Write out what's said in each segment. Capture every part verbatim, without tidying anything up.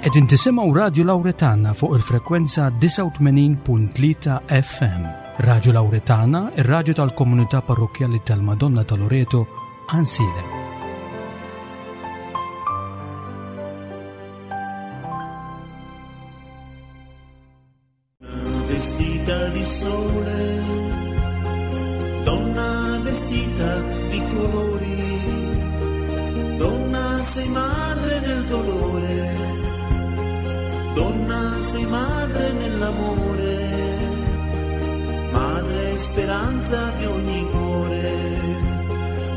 Qegħdin tisimgħu Radju Lawretana fuq il-frekwenza disgħa u tmenin punt tlieta F M. Radju Lawretana, ir-radju tal-komunità parrokkjali tal-Madonna ta' Loreto, Għajnsielem. Vestita di sole, donna vestita di colori, donna sei madre nel dolore, donna sei madre nell'amore, madre speranza di ogni cuore,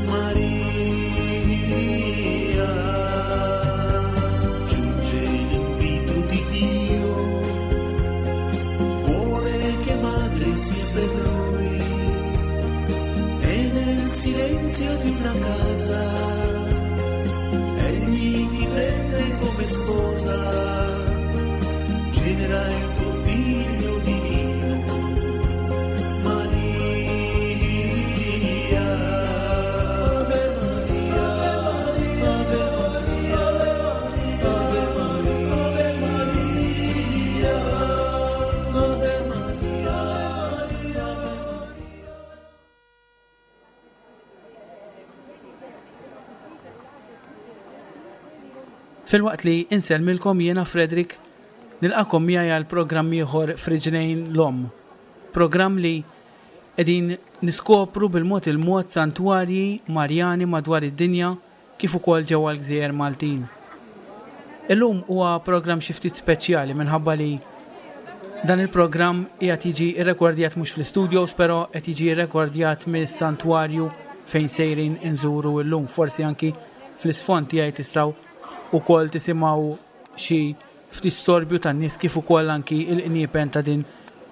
Maria. Giunge l'invito di Dio, vuole che madre sia per lui, e nel silenzio di una casa egli ti prende come sposa, genera il tuo figlio divino, Maria. Ave Maria, Ave Maria, Ave Maria, Ave Maria, Ave Maria, Ave Maria. Filwaqt li insellmilkom jiena Frederick, nilqakom miegħi għal programm ieħor Friġnejn l-Omm. Programm li qegħdin niskopru bil-mod il-mod santwarji Marjani madwar id-dinja kif ukoll ġewwa l-Gżejjer Maltin. Illum huwa programm xi ftit speċjali minħabba li dan il-programm qiegħed jiġi rrekordjat mhux fl-istudios, però qed jiġi rrekordjat mis-santwarju fejn sejrin inżuru llum. Forsi anki fl-isfond tiegħi tistgħu ukoll tisimgħu xi ftit storbju tan-nies kif ukoll anki l-qniepen ta' din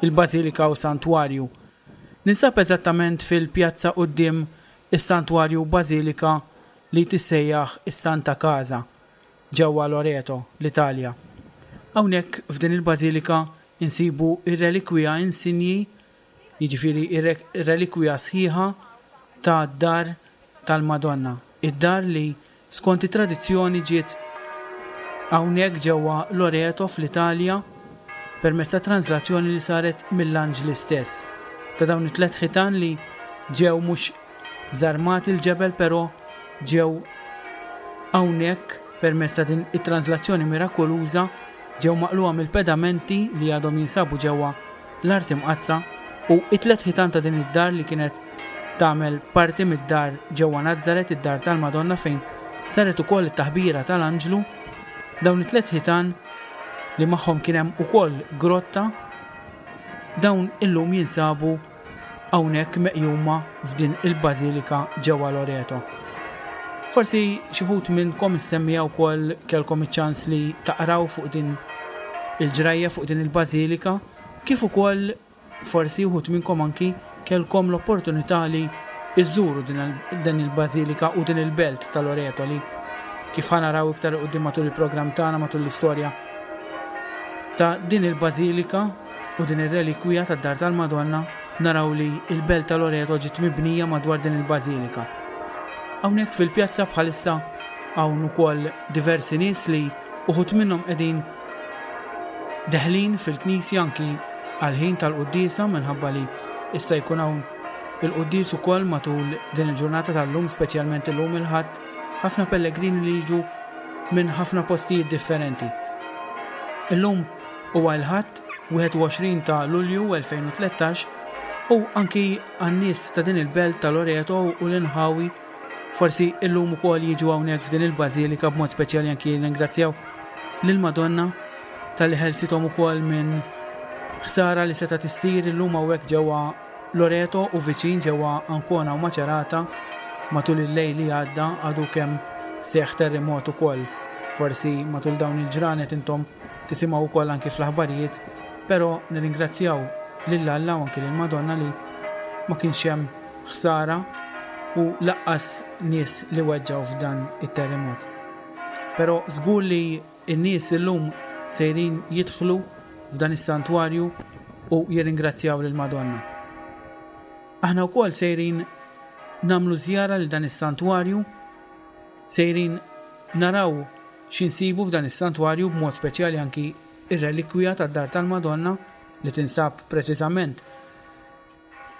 il-bażilika u santwarju. Ninsab eżattament fil-pjazza quddiem is-santwarju bażilika li tissejjaħ is-Santa Casa ġewwa Loreto, l-Italja. Hawnhekk f'din il-bażilika insibu ir-relikwija insinji, jiġifieri ir-relikwija sħiħa ta' dar tal-Madonna, id-dar li skont it-tradizzjoni ġiet hawnhekk ġewwa Loreto fl-Italja permezz ta' translazzjoni li saret mill-anġli stess. Ta' dawn it-tliet ħitan li ġew mhux żarmati l-ġebel, però ġew hawnhekk permezz ta' din it-translazzjoni mirakoluża ġew maqluha mill-pedamenti li għadhom jinsabu ġewwa l-Art Imqaddsa, u it-tliet ħitan ta' din id-dar li kienet tagħmel parti mid-dar ġewwa Nazzaret, id-dar tal-Madonna fejn saret ukoll it-taħbira tal-anġlu. Dawn it-tliet ħitan li magħhom kien hemm ukoll grotta, dawn illum jinsabu hawnhekk meqjuma f'din il-bażilika ġewwa Loreto. Forsi xi wħud minnkom issemmija wkoll kellkom iċ-ċans li taqraw fuq din il-ġrajja, fuq din il-bażilika, kif ukoll forsi wħud minnkom anki kellkom l-opportunità li iżżuru din il-, din il-bażilika u din il-belt ta' Loreto li kif ħanaraw iktar quddiem matul il-programm tagħna, matul l-istorja ta' din il-bażilika u din ir-relikwija tad-dar tal-Madonna, naraw li il-belt ta' Loreto ġiet mibnija madwar din il-bażilika. Hawnhekk fil-pjazza bħalissa hawn ukoll diversi nies li uħud minnhom qegħdin deħlin fil-knisja anki għal-ħin tal-quddiesa, minħabba li issa jkun hawn il-quddies ukoll matul din il-ġurnata tal-lum, speċjalment illum il-Ħadd, ħafna pellegrini li jiġu minn ħafna postijiet differenti. Illum huwa l-Ħadd wieħed u għoxrin ta' Lulju elfejn u tlettax u anki għan-nies ta' din il-belt ta' Loreto u l-inħawi forsi illum ukoll jiġu hawnhekk f'din il-bażilika, b'mod speċjali anki ringrazzjaw lill-Madonna tal-li ħelsithom ukoll minn ħsara li setgħet issir illum hawnhekk ġewwa Loreto u viċin ġewwa Ancona u Macerata matul il-lejl li għadda għadu kemm seħħ terremot ukoll. Forsi matul dawn il-ġranet intom tisimgħu wkoll anki fl-aħbarijiet, però nirringrazzjaw lil Alla u anki lill-Madonna li ma kienx hemm ħsara u laqqas nies li weġġgħu f'dan it-terremot. Però żgur li n-nies illum sejrin jidħlu f'dan is-santwarju u jirringrazzjaw lill-Madonna. Aħna wkoll sejrin nagħmlu żjara lil dan is-santwarju, sejrin naraw x'insibu f'dan is-santwarju, b'mod speċjali anki ir-relikwija tad-Dar tal-Madonna li tinsab preċiżament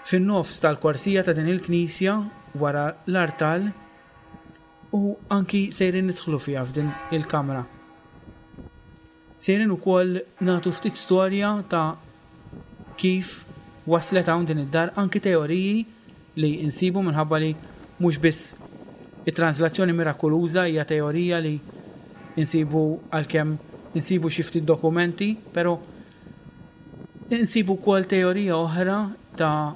fin-nofs tal-korsija ta' din il-knisja wara l-artal, u anki sejrin nidħlu fiha f'din il-kamra. Sejrin ukoll nagħtu ftit storja ta' kif waslet hawn din id-dar, anki teoriji li insibu minħabba li mhux biss it-translazzjoni mirakoluża hija teorija li insibu, għalkemm insibu xi ftit dokumenti, però insibu wkoll teorija oħra ta'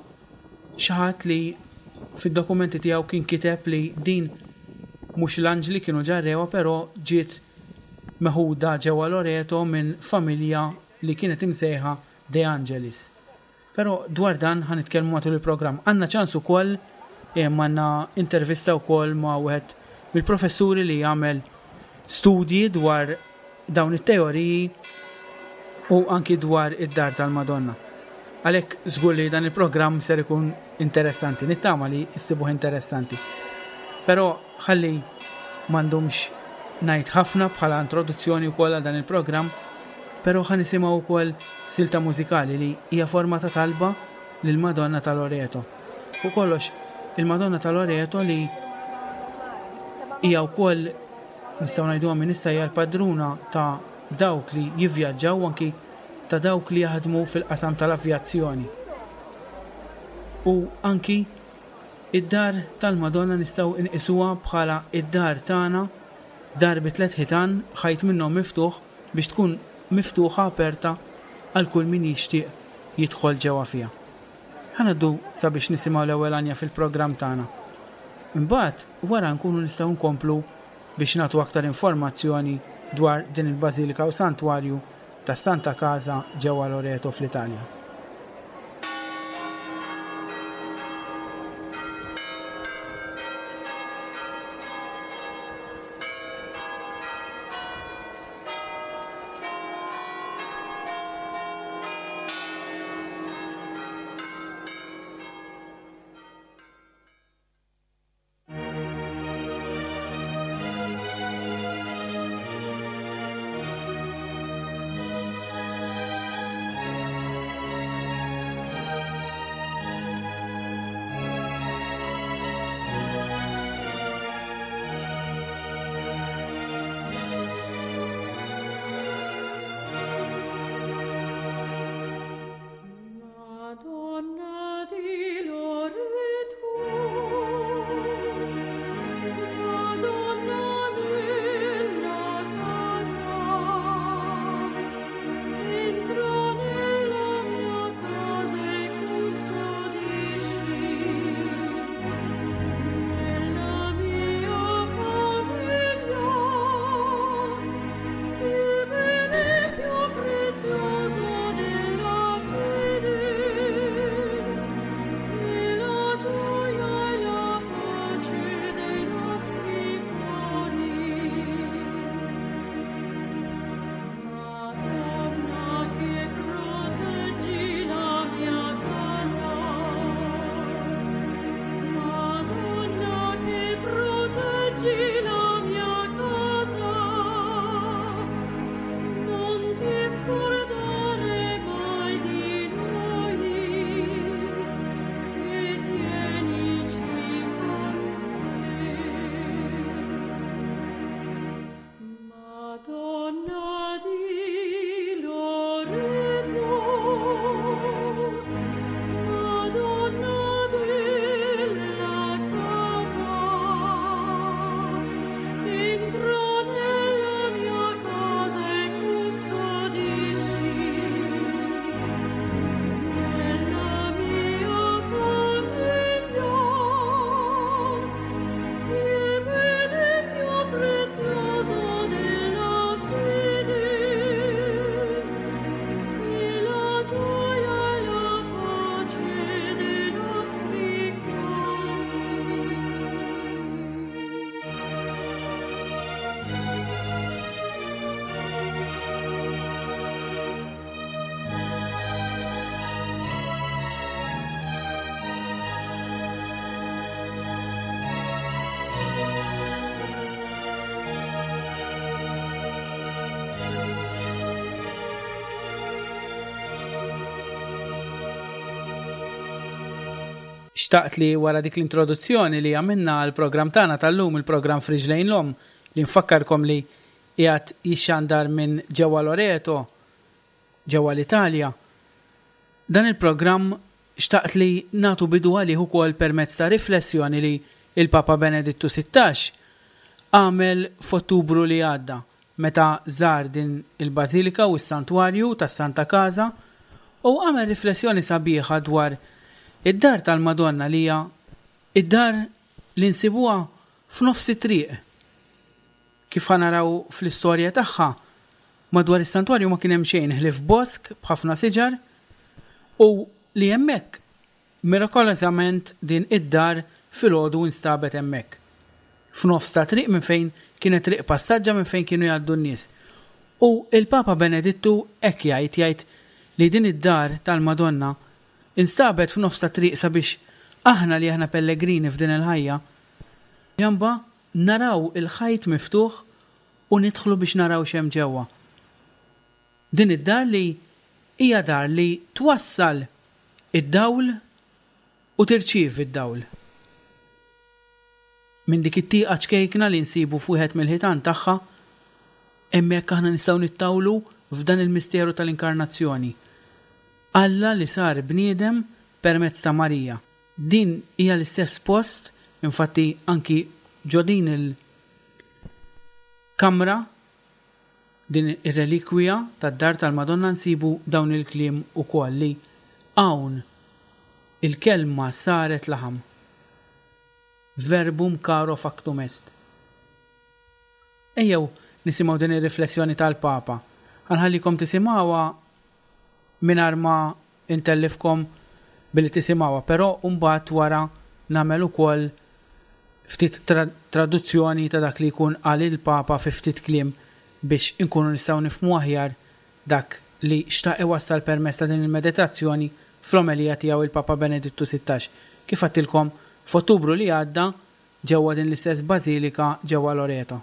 xi ħadd li fid-dokumenti tiegħu kien kiteb li din mhux l-anġli kienu ġarrewa, però ġiet meħuda ġewwa Loreto minn familja li kienet imsejħa De Angelis. Però dwar dan ħa nitkellmu matul il-programm. Għandna ċans ukoll, għandna intervista wkoll ma' wieħed mill-professuri li jagħmel studji dwar dawn it-teoriji u anki dwar id-Dar tal-Madonna. Għalhekk żgur li dan il-programm ser ikun interessanti, nittama li issibuh interessanti. Però ħalli m'għandhomx ngħid ħafna bħala introduzzjoni wkoll għal dan il-programm, però ħa nisimgħu wkoll silta mużikali li hija forma ta' talba lil Madonna ta' Loreto. Fuq kollox, il-Madonna ta' Loreto li hija wkoll, nistgħu ngħiduha minn issa, hija l-padruna ta' dawk li jivvjaġġaw, anki ta' dawk li jaħdmu fil-qasam tal-avjazzjoni. U anki id-dar tal-Madonna nistgħu nqisuha bħala id-dar tagħna, dar bi tliet ħitan, ħajt minnhom miftuħ biex tkun miftuħa aperta għal kull min jixtieq jidħol ġewwa fiha. Ħa ngħaddu sabiex nisimgħu l-ewwel għanja fil-programm tagħna. Imbagħad wara nkunu nistgħu nkomplu biex nagħtu aktar informazzjoni dwar din il-Bażilika u Santwarju ta' Santa Casa ġewwa Loreto fl-Italja. Thank Xtaqt li wara dik l-introduzzjoni li għamilna għall-programm tagħna tal-lum, il-programm F'Riġlejn l-Omm, li nfakkarkom li qiegħed jixxandar minn ġewwa Loreto, ġewwa l-Italja. Dan il-programm xtaqt li nagħtu bidu għalih ukoll permezz ta' riflessjoni li il-Papa Benedittu sittax għamel f'Ottubru li għadda, meta żar din il-Bażilika u s-Santwarju tas-Santa Casa, u għamel riflessjoni sabiħa dwar id-dar tal-Madonna li hija id-dar li nsibuha f'nofs it-triq. Kif ħa naraw fl-istorja tagħha, madwar is-santwarju ma kien hemm xejn ħlief bosk b'ħafna siġar, u li hemmhekk mirakolosament din id-dar filgħodu instabet hemmhekk. F'nofs ta' triq minn fejn kienet triq passaġġa minn fejn kienu jgħaddu n-nies. U il-Papa Benedittu hekk jgħid, jgħid li din id-dar tal-Madonna instabet f'nofs ta' triq sabiex aħna li aħna pellegrini f'din il-ħajja, ġamba naraw il-ħajt miftuħ u nidħlu biex naraw x'hemm ġewwa. Din id-dar li hija dar li twassal id-dawl u tirċievi d-dawl. Minn dik it-tieqa ċkejkna li nsibu f'wieħed mill-ħitan tagħha, hemmhekk aħna nistgħu nittawlu f'dan il-misteru tal-inkarnazzjoni. Alla li sar bniedem permezz ta' Marija. Din hija l-istess post, infatti anki ġo din il-kamra, din ir-relikwija tad-dar tal-Madonna nsibu dawn il-kliem ukoll li hawn il-kelma saret laħam. Verbum caro factum est. Ejjew nisimgħu din ir-riflessjoni tal-Papa. Ħanħallikom tisimgħuha mingħajr ma intellifkom billi tisimgħuha, però mbagħad wara nagħmel ukoll ftit tra-, traduzzjoni ta' dak li jkun qal il-Papa fi ftit kliem biex inkunu nistgħu nifhmu aħjar dak li xtaq iwassal permezz ta' din il-meditazzjoni fl-omelija tiegħu il-Papa Benedittu sittax. Kif għedtilkom f'Ottubru li għadda ġewwa din l-istess bażilika ġewwa Loreto.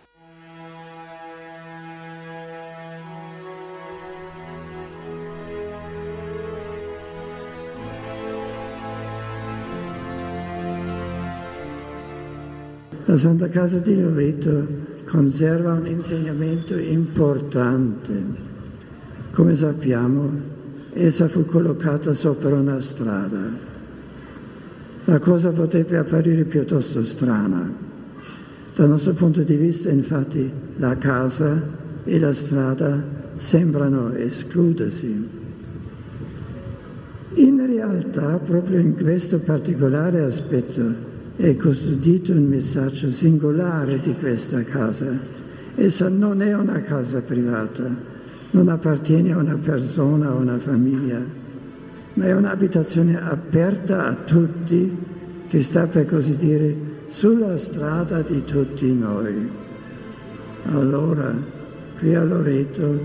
La Santa Casa di Loreto conserva un insegnamento importante. Come sappiamo, essa fu collocata sopra una strada. La cosa potrebbe apparire piuttosto strana. Dal nostro punto di vista, infatti, la casa e la strada sembrano escludersi. In realtà, proprio in questo particolare aspetto, è custodito un messaggio singolare di questa casa. Essa non è una casa privata, non appartiene a una persona o a una famiglia, ma è un'abitazione aperta a tutti, che sta, per così dire, sulla strada di tutti noi. Allora, qui a Loreto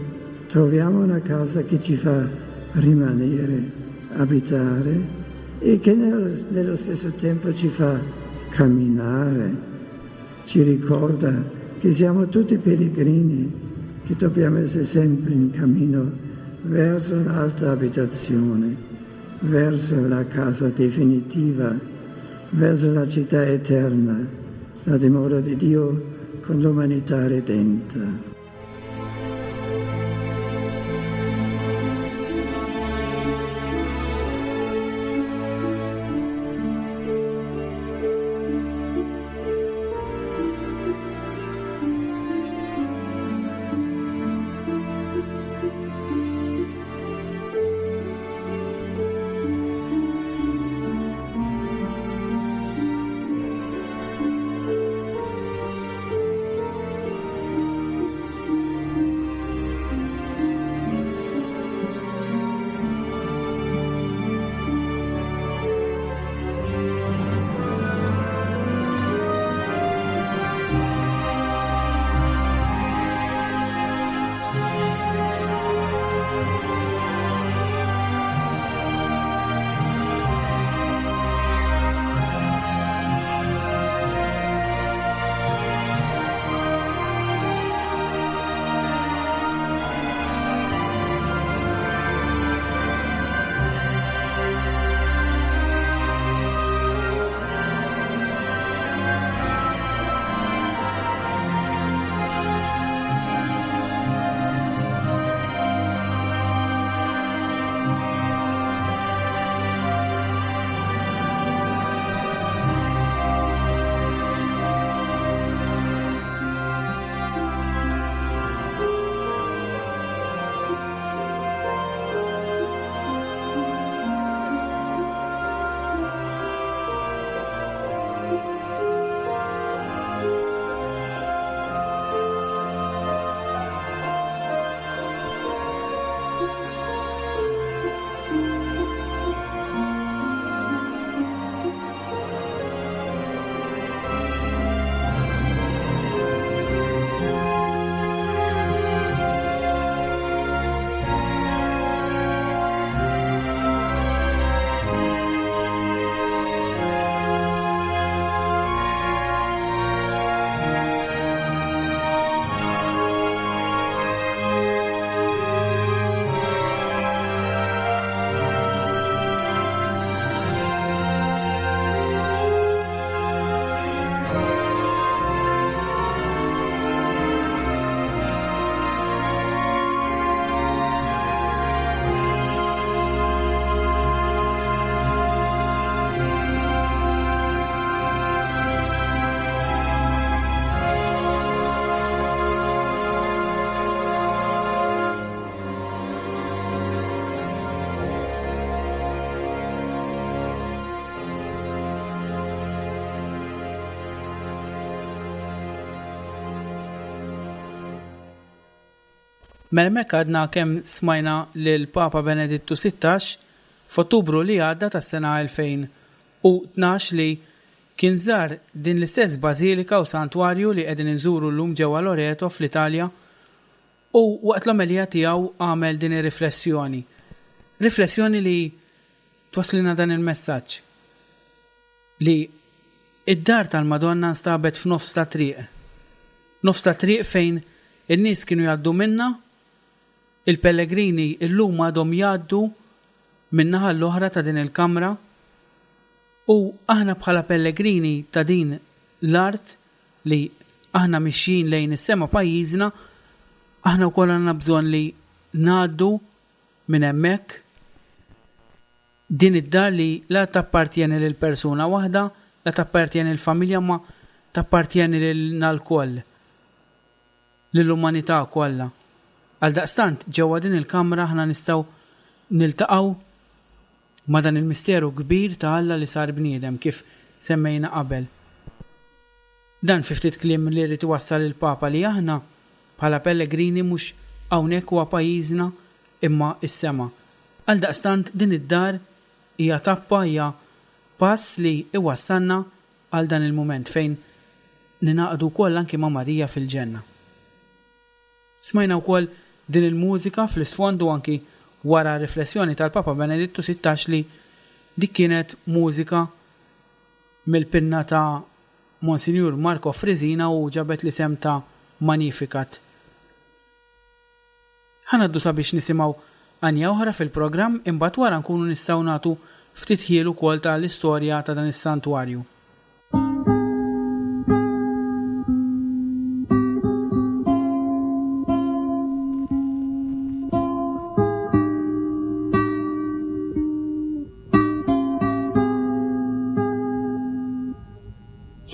troviamo una casa che ci fa rimanere, abitare, e che nello, nello stesso tempo ci fa camminare, ci ricorda che siamo tutti pellegrini, che dobbiamo essere sempre in cammino verso un'altra abitazione, verso la casa definitiva, verso la città eterna, la dimora di Dio con l'umanità redenta. Mela hemmhekk għadna kemm smajna lil Papa Benedittu sittax f'Ottubru li għadda tas-sena elfejn u tnax li kien żar din l-istess bażilika u santwarju li qegħdin inżuru llum ġewwa Loreto fl-Italja u waqt l-omelija tiegħu għamel din ir-riflessjoni. Riflessjoni li twaslilna dan il-messaġġ li id-dar tal-Madonna nstabet f'nofs ta' triq. Nofs ta' triq fejn in-nies kienu jgħaddu minna, il-pellegrini illum għadhom jgħaddu min-naħa l-oħra ta' din il-kamra u aħna bħala pellegrini ta' din l-art li aħna mixjin lejn is-sema pajjiżna, aħna wkoll għandna bżonn li ngħaddu minn hemmhekk din id-dar li la tappartjeni lil persuna waħda, la tappartjeni l-familja, ma tappartjeni lilna lkoll, lill-umanità kollha. Għaldaqstant ġewwa din il-kamra aħna nistgħu niltaqgħu ma' dan il-misteru kbir ta' Alla li sar bniedem kif semmejna qabel. Dan fi ftit kliem li rrid iwassal il-Papa li aħna bħala pellegrini mhux hawnhekk huwa pajjiżna imma s-sema. Għaldaqstant din id-dar hija tappa, hija pass li iwassalna għal dan il-mument fejn ninaqdu wkoll anki ma' Marija fil-ġenna. Smajna wkoll din il-mużika fl-isfond u anki wara riflessjoni tal-Papa Benedittu sittax li dik kienet mużika mill-pinna ta' Monsignor Marco Frisina u ġabet l-isem ta' Magnificat. Ħanaddu sabiex nisimgħu għanja oħra fil-programm, imbagħad wara nkunu nistgħu nagħtu ftit ħiel ukoll tal-istorja ta' dan is-santwarju.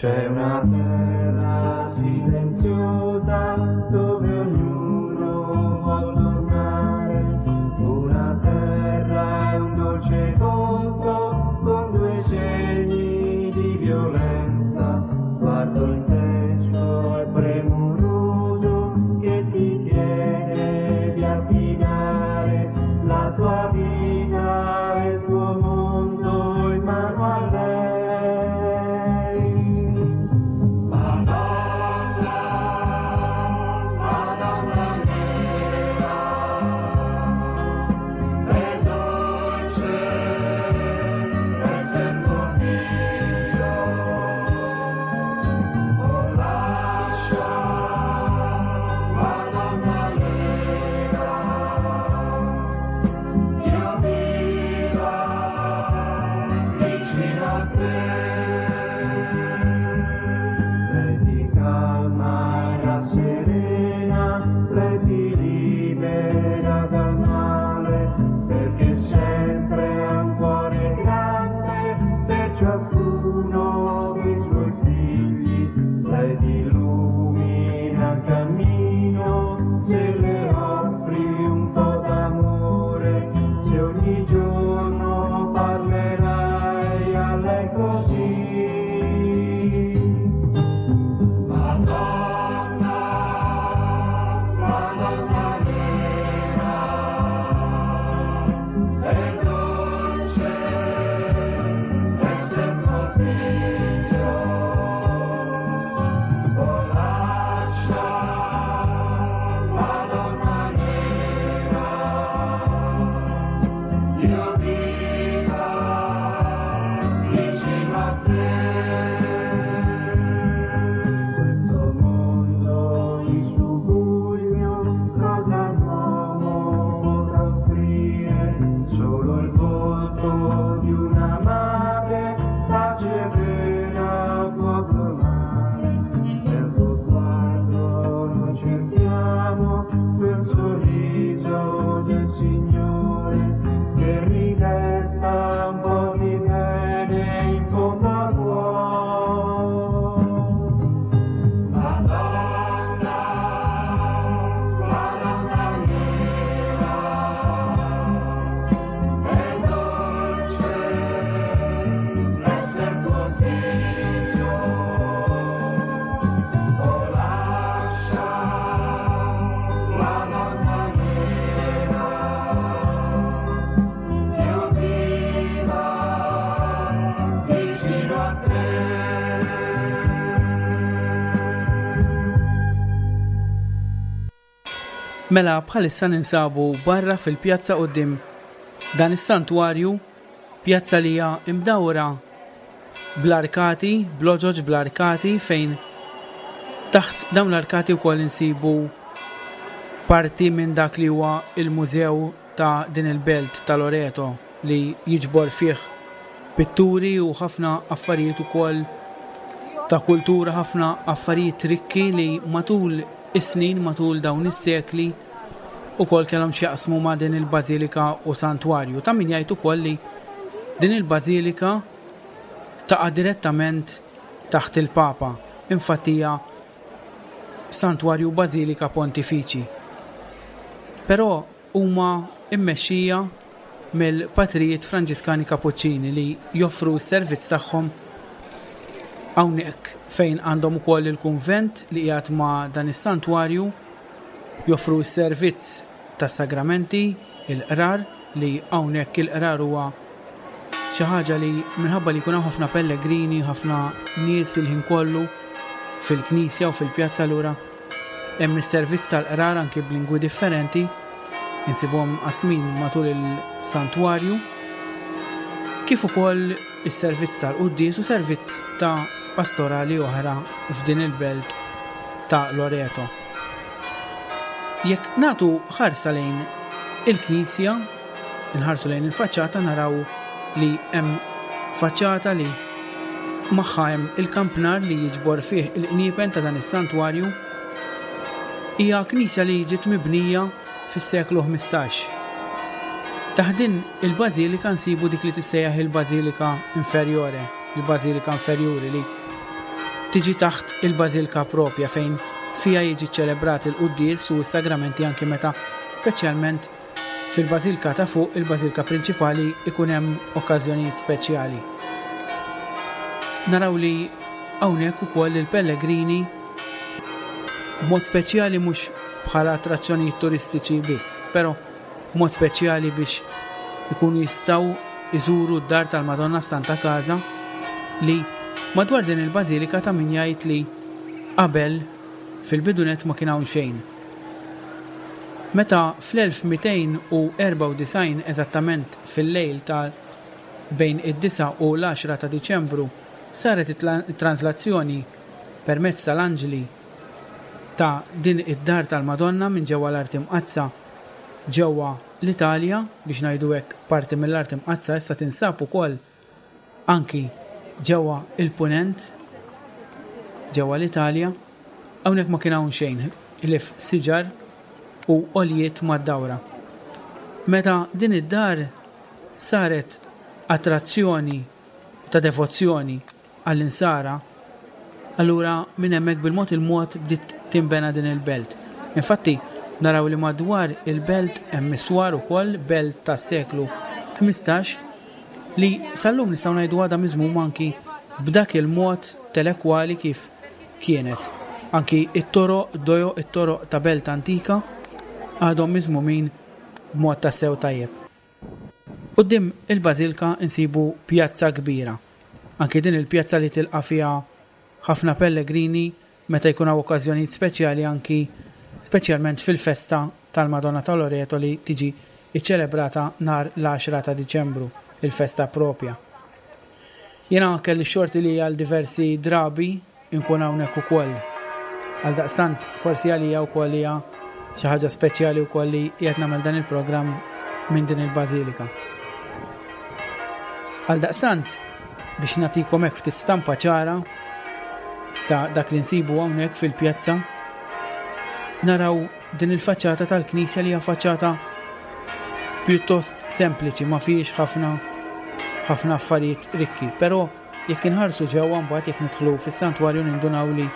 C'è una terra silenziosa dove ognuno vuol tornare, una terra è un dolce conto con due segni di Mela bħalissa ninsabu barra fil-pjazza quddiem dan is-santwarju, pjazza li hija imdawra bl-arkati, b'loġoġ bl-arkati fejn taħt dawn l-arkati wkoll insibu parti minn dak li huwa il-mużew ta' din il-belt ta' Loreto li jiġbor fih pitturi u ħafna affarijiet ukoll ta' kultura, ħafna affarijiet rikki li matul is-snin, matul dawn is-sekli ukoll kellhom x'jaqsmu ma' din il-bażilika u santwarju. Ta' min jgħid ukoll li din il-bażilika taqa' direttament taħt il-Papa. Infatti hija santwarju bażilika pontifiċi. Però huma immexxija mill-patrijiet Franġiskani Kapuċċini li joffru s-servizz tagħhom hawnhekk fejn għandhom ukoll il-kunvent li qiegħed ma' dan is-santwarju, joffru s-servizz tas-sagramenti, il-qrar, li hawnhekk il-qrar huwa xi ħaġa li minħabba li jkun hawn ħafna pellegrini, ħafna nies il-ħin kollu fil-knisja u fil-pjazza, allura hemm is-servizz tal-qrar anki b'lingwi differenti insibuhom qasmin matul il-santwarju, kif ukoll is-servizz tal-quddies u servizz ta' pastorali oħra f'din il-belt ta' Loreto. Jekk nagħtu ħarsa lejn il-knisja, nħarsu lejn il-faċċata, naraw li hemm faċċata li magħha hemm il-kampnar li jiġbor fih il-qniepen ta' dan is-santwarju. Hija knisja li ġiet mibnija fis-seklu ħmistax. Taħt din il-bażilika nsibu dik li tissejjaħ il-Bażilika Inferiore, il-Bażilika Inferjuri li tiġi taħt il-Bażilika propja fejn fija jiġi ċelebrat il-quddies u s-sagramenti anki meta speċjalment fil-Bażilika ta' fuq, il-Bażilika prinċipali, ikun hemm okkażjonijiet speċjali. Naraw li hawnhekk ukoll il-pellegrini b'mod speċjali, mhux bħala attrazzjonijiet turistiċi biss, però b'mod speċjali biex ikunu jistgħu iżuru d-dar tal-Madonna Santa Casa li madwar din il-bażilika ta' min jgħid li qabel fil-bidunet ma kien hawn xejn. Meta fl-elf mitejn u erbgħa u disgħin, eżattament fil-lejl ta' bejn id-disgħa u l-għaxra ta' Diċembru, saret it-translazzjoni permezz tal-anġli ta' din id-dar tal-Madonna minn ġewwa l-Art Imqaddsa ġewwa l-Italja, biex ngħidu hekk parti mill-Art Imqaddsa issa tinsab ukoll anki ġewwa il-Punent, ġewwa l-Italja. Hawnhekk ma kien hawn xejn ħlief siġar u għoljiet mad-dawra. Meta din id-dar saret attrazzjoni ta' devozzjoni għall-insara, allura minn hemmhekk bil-mod il-mod bdiet tinbena din il-belt. Infatti naraw li madwar il-belt hemm iswar ukoll, belt tas-seklu ħmistax, li sal-lum nistgħu ngħidu għadha miżmuma anki b'dak il-mod telekwali kif kienet. Anki it-toroq, dojo, it-toroq ta' belt antika għadhom miżmumin b'mod ta' sew tajjeb. Quddiem il-bażilka insibu pjazza kbira. Anki din il-pjazza li tilqa' fiha ħafna pellegrini meta jkun hawn okkażjonijiet speċjali, anki speċjalment fil-festa tal-Madonna ta' Loreto li tiġi iċċelebrata nhar l-għaxra ta' Diċembru, il-festa propja. Jiena kelli xorti li għal diversi drabi nkun hawnhekk ukoll. Għal daqstant forsi għalija wkoll hija xi ħaġa speċjali wkoll li qiegħed nagħmel dan il-programm minn din il-bażilika. Għal daqstant biex nagħtikom hekk ftit stampa ċara ta' dak li nsibu hawnhekk fil-pjazza, naraw din il-faċċata tal-knisja li hija faċċata pjuttost sempliċi, ma fihiex ħafna, ħafna affarijiet rikki, però jekk inħarsu ġewwa mbagħad jekk nidħlu fis-santwarju nindunaw li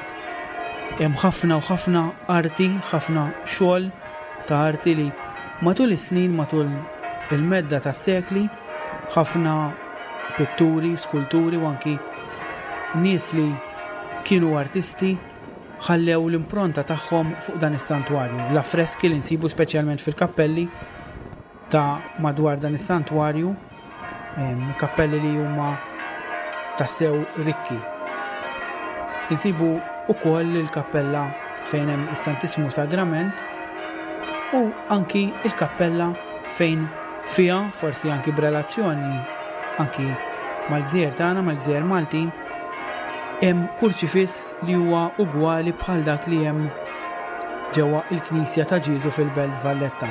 hemm ħafna u ħafna arti, ħafna xogħol ta' arti li matul is-snin, matul il-medda tas-sekli, ħafna pitturi, skulturi u anki nies li kienu artisti ħallew l-impronta tagħhom fuq dan is-santwarju. L-affreski li nsibu speċjalment fil-kappelli ta' madwar dan is-santwarju, em, kappelli li huma tassew rikki. Insibu ukoll il-kappella fejn hemm is-Santissmu Sagrament U anki il-kappella fejn fiha, forsi anki b'relazzjoni anki mal-gżejjer tagħna, mal-gżejjer Maltin, hemm kurċifiss li huwa ugwali bħal dak li hemm ġewwa il-Knisja ta' Ġieżu fil-Belt Valletta.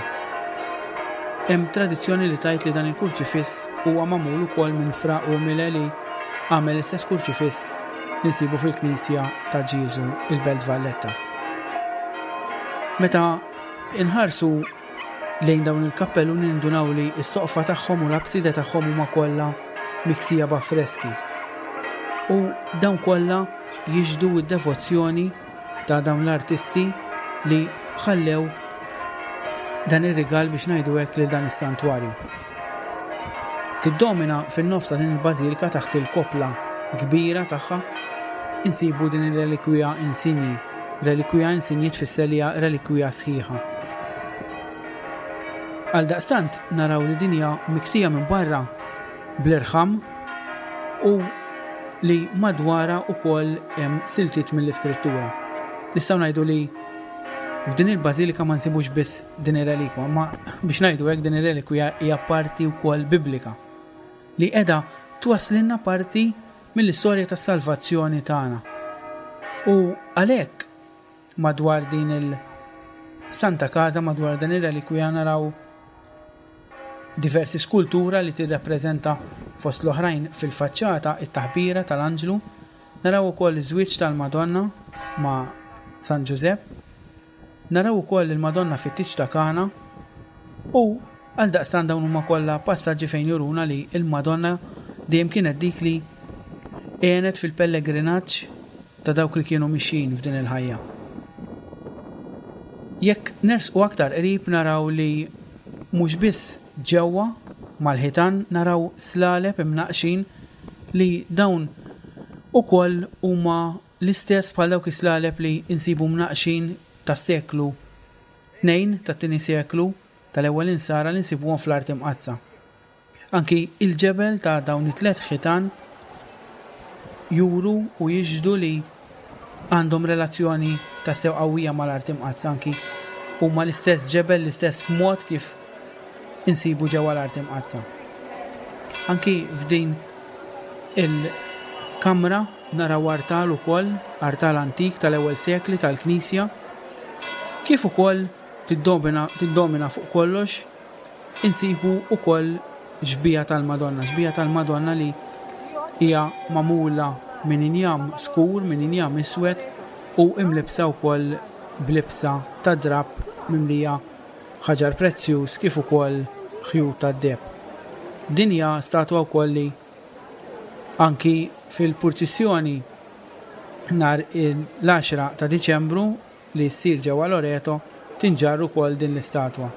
Hemm tradizzjoni li tgħid li dan il-kurċifiss huwa magħmul ukoll minn Fra Umile li għamel l-istess kurċifiss li nsibu fil-Knisja ta' Ġieżu il-Belt Valletta. Meta inħarsu lejn dawn il-kappelluni nindunaw li s-soqfa tagħhom u l-abside tagħhom huma kollha miksija b'affreski. U dawn kollha jixhdu d-devozzjoni ta' dawn l-artisti li ħallew dan ir-rigal, biex ngħidu hekk, lil dan is-santwarju. Tiddomina fin-nofs ta' din il-bażilika, taħt il-kopla kbira tagħha, insibu din ir-relikwija insinji. Relikwija insinji tfisser li hija relikwija sħiħa. Għal daqstant naraw li din hija miksija minn barra bl-irħam u li madwara ukoll hemm siltiet mill-iskrittura. Nistgħu ngħidu li f'din il-bażilika ma nsibux biss din ir-relikwa, ma biex ngħidu hekk, din ir-relikwija hija parti wkoll biblika li qiegħda twasslilna parti mill-istorja tas-salvazzjoni tagħna. U għalhekk madwar din il-Santa Casa, madwar din ir-relikwija, naraw diversi skultura li tirrappreżenta, fost l-oħrajn, fil-faċċata it-taħbira tal-anġlu, naraw ukoll iż-żwieġ tal-Madonna ma' San Ġużepp, naraw ukoll il-Madonna fit-tieġ ta' Kana, u għal daqstan dawn huma kollha passaġġi fejn juruna li il-Madonna dejjem kienet dik li għenet fil-pellegrinaġġ ta' dawk li kienu mixjin f'din il-ħajja. Jekk nersqu aktar qrib naraw li mhux biss ġewwa mal-ħitan naraw slaleb imnaqxin li dawn ukoll huma l-istess bħal dawk is-slaleb li insibu mnaqxin tas-seklu tnejn, tat-tieni seklu tal-ewwel insara, li nsibuhom fl-Art Imqaddsa. Anki il-ġebel ta' dawn it-tliet ħitan juru u jixhdu li għandhom relazzjoni ta' sew qawwija mal-Art Imqaddsa, anki huma l-istess ġebel, l-istess mod kif insibu ġewwa l-Art Imqaddsa. Anki f'din il-kamra naraw artal ukoll, artal antik tal-ewwel sekli tal-Knisja, kif ukoll tiddomina, tiddomina fuq kollox insibu ukoll xbieha tal-Madonna, xbieha tal-Madonna li hija magħmula minn injam skur, minn injam iswed, u imlibsa wkoll b'libsa ta' drapp mimlija ħaġar prezzjuż kif ukoll ħjut tad-deheb. Din hija statwa wkoll li anki fil-purċissjoni nhar l-għaxra ta' Diċembru li ssir ġewwa Loreto tinġarr ukoll din l-istatwa.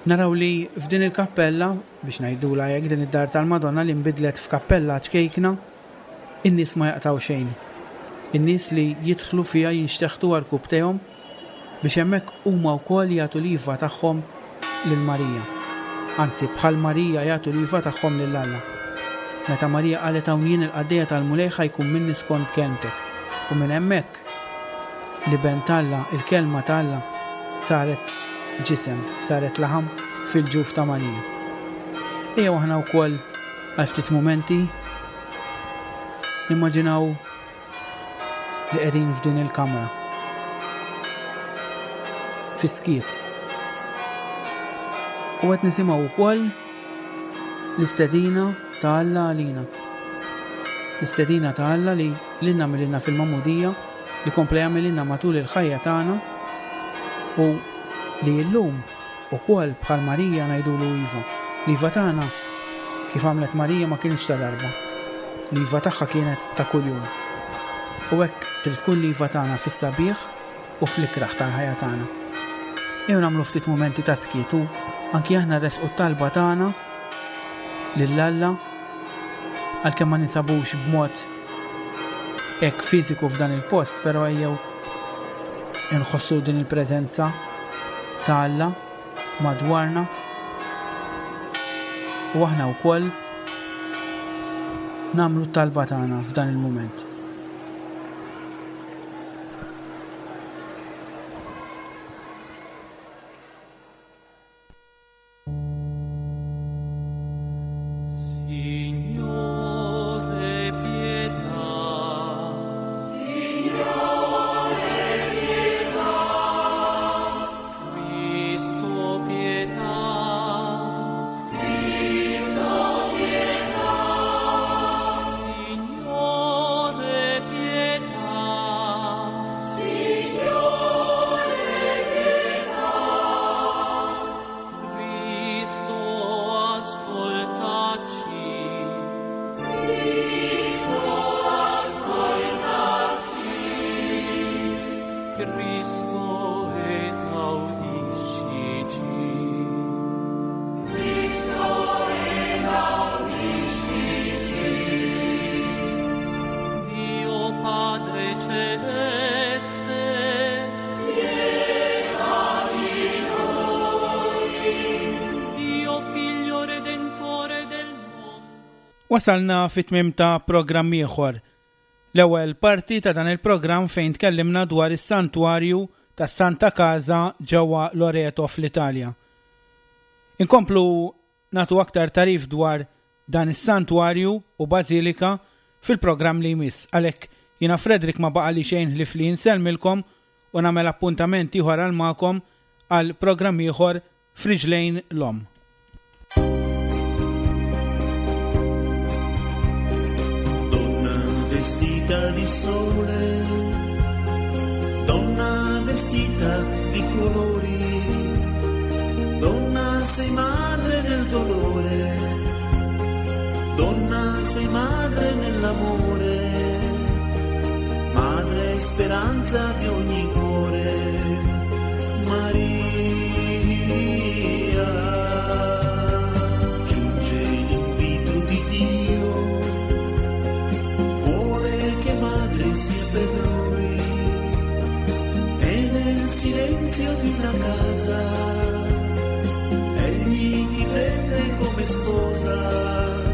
Naraw li f'din il-kappella, biex ngħidula hekk, din id-dar tal-Madonna li nbidlet f'kappella ċkejkna, in-nies ma jaqtaw xejn. In-nies li jidħlu fiha jinxteħtu għarkupptejhom biex hemmhekk huma wkoll jagħtu l-iva tagħhom lil Marija. Anzi, bħal Marija jagħtu l-iva tagħhom lil Alla. Meta Marija qalet: "Hawn jien il-qaddejja tal-Mulej, ħa jkun minni skont kelmtek." U minn hemmhekk l-Iben t'Alla, il-kelma t'Alla, saret ġisem, saret laħam fil-ġuf ta' Marija. Ejja aħna wkoll għal ftit momenti nimmaġinaw li qegħdin f'din il-kamra. Fis-skiet. U qed nisimgħu wkoll l-istedina ta' Alla għalina. L-istedina ta' Alla li lilna għamlilna fil-magħmudija, li kompla jagħmilna matul il-ħajja tagħna u li llum ukoll bħal Marija ngħidulu iva. L-iva tagħna, kif għamlet Marija, ma kienx ta' darba. L-iva tagħha kienet ta' kuljum. U hekk trid tkun l-iva tagħna fis-sabiħ u fl-ikraħ tal-ħajja tagħna. Ejjew nagħmlu ftit momenti ta' skiet u anki aħna resqu t-talba tagħna lil Alla, għalkemm ma ninsabux b'mod hekk fiżiku f'dan il-post, però ejjew inħossu din il-preżenza ta' Alla madwarna u aħna wkoll nagħmlu t-talba tagħna f'dan il-mument. Cristo esaudiscici. Cristo esaudiscici. Dio Padre Celeste, pietà di noi. Dio Figlio Redentore del mondo. Wasalna fit-tmiem ta' programm ieħor. L-ewwel parti ta' dan il-programm fejn tkellimna dwar is-santwarju ta' Santa Casa ġewwa Loreto fl-Italja. Inkomplu nagħtu aktar tagħrif dwar dan is-santwarju u bażilika fil-programm li jmiss. Għalhekk jiena Frederick ma baqali xejn ħlief li nsellmilkom u nagħmel appuntament ieħor għal magħkom għal programm ieħor f'Riġlejn l-Omm. Donna vestita di sole, donna vestita di colori, donna sei madre nel dolore, donna sei madre nell'amore, madre e speranza di ogni cuore, Maria. Giunge l'invito di Dio, vuole che madre sia per lui, e nel silenzio di una casa egli ti prende come sposa.